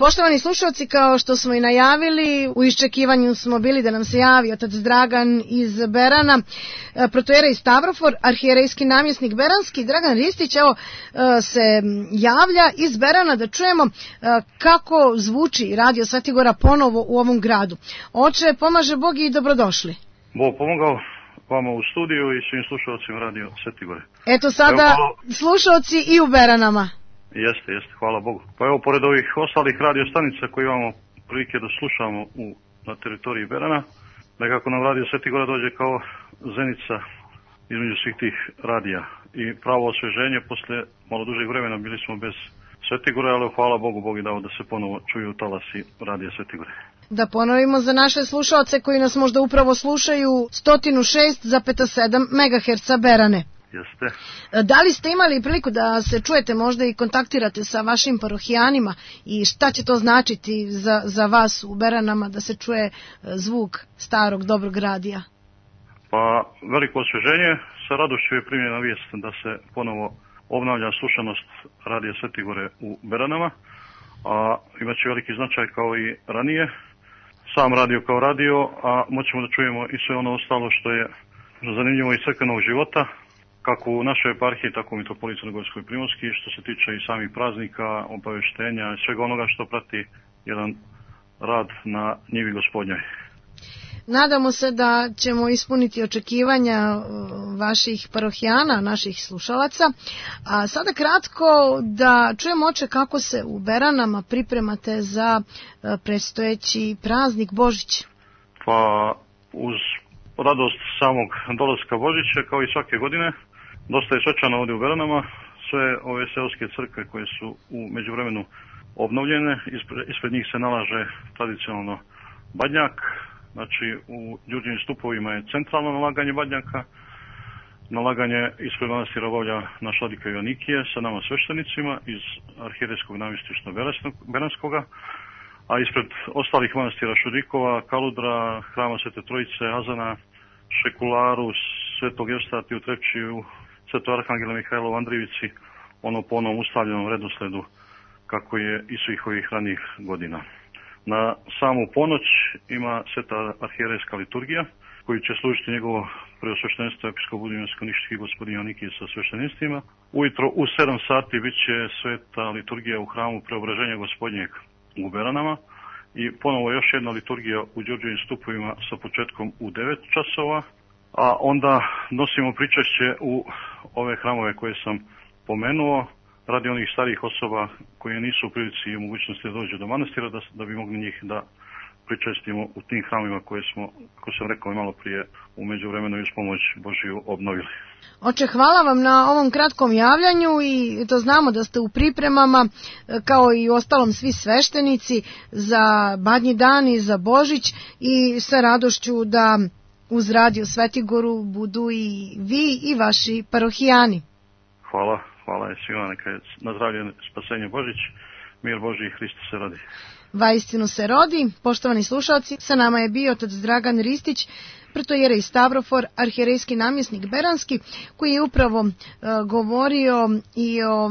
Poštovani slušalci, kao što smo i najavili, u iščekivanju smo bili da nam se javi otac Dragan iz Berana, protoijerej Stavrofor, arhijerejski namjesnik beranski. Dragan Ristić, evo, se javlja iz Berana da čujemo kako zvuči Radio Svetigora ponovo u ovom gradu. Oče, pomaže Bog i dobrodošli. Bog pomogao vama u studiju i svim slušalcima Radio Svetigore. Eto sada slušalci i u Beranama. Jeste, hvala Bogu. Pa evo, pored ovih ostalih radio stanica koje imamo prilike da slušamo na teritoriji Berana, nekako nam Radio Svetigora dođe kao zenica između svih tih radija. I pravo osveženje, posle malo dužeg vremena bili smo bez Svetigore, ali hvala Bogu, Bog je dao da se ponovo čuju talasi Radio Svetigore. Da ponovimo za naše slušalce koji nas možda upravo slušaju, 106,7 MHz Berane. Jeste. Da li ste imali priliku da se čujete možda i kontaktirate sa vašim parohijanima i šta će to značiti za vas u Beranama da se čuje zvuk starog dobrog radija? Pa veliko osveženje, sa radošću je primljena vijest da se ponovo obnavlja slušanost Radija Svetigore u Beranama, a imaće veliki značaj kao i ranije. Sam radio kao radio, a moćemo da čujemo i sve ono ostalo što je zanimljivo iz crkvenog života, kako u našoj eparhiji, tako u mitropoliji Crnogorskoj i Primorski, što se tiče i samih praznika, obaveštenja i svega onoga što prati jedan rad na njivi Gospodnjoj. Nadamo se da ćemo ispuniti očekivanja vaših parohijana, naših slušalaca. A sada kratko da čujemo, oče, kako se u Beranama pripremate za predstojeći praznik Božić. Pa uz radost samog dolaska Božića, kao i svake godine, dosta je svečano ovdje u Beranama. Sve ove seoske crkve koje su u međuvremenu obnovljene, ispred njih se nalaže tradicionalno badnjak. Znači, u Đurđevim stupovima je centralno nalaganje badnjaka. Nalaganje ispred manastira obavlja naš vladika Joanikije sa nama sveštenicima iz arhijerejskog namjestištva Beranskoga, a ispred ostalih manastira Šudikova, Kaludra, Hrama Svete Trojice, Azana, Šekularu, Svetog Evstati u Trepčiju, Svetog Arhangela Mihajla u Andrijevici, ono po onom ustavljenom redosledu kako je i svih ovih ranijih godina. Na samu ponoć ima sveta arhijerejska liturgija koju će služiti njegovo preosveštenstvo episkop Budimljansko-Niški gospodin Joanikije sa svešteninstvima. Ujutro u 7 sati bit će sveta liturgija u hramu Preobraženja Gospodnjeg u Beranama i ponovo još jedna liturgija u Đurđevim stupovima sa početkom u 9 časova, a onda nosimo pričešće u ove hramove koje sam pomenuo, radi onih starijih osoba koje nisu u prilici i u mogućnosti da dođu do manastira, da bi mogli njih da pričestimo u tim hramima koje smo, kako sam rekao malo prije, u međuvremenu i uz pomoć Božiju obnovili. Oče, hvala vam na ovom kratkom javljanju i to znamo da ste u pripremama, kao i ostalom svi sveštenici, za Badnji dan i za Božić i sa radošću da uz Radio Svetigoru budu i vi i vaši parohijani. Hvala je svima, neka je na zdravlje spasenje Božić, mir Božji i Hristos se rodi. Vaistinu se rodi. Poštovani slušalci, sa nama je bio otac Dragan Ristić, protoijerej Stavrofor, arhijerejski namjesnik beranski, koji je upravo govorio i o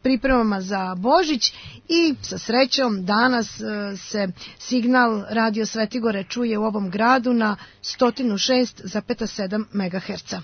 pripremama za Božić i sa srećom danas se signal Radio Svetigore čuje u ovom gradu na 106,7 MHz.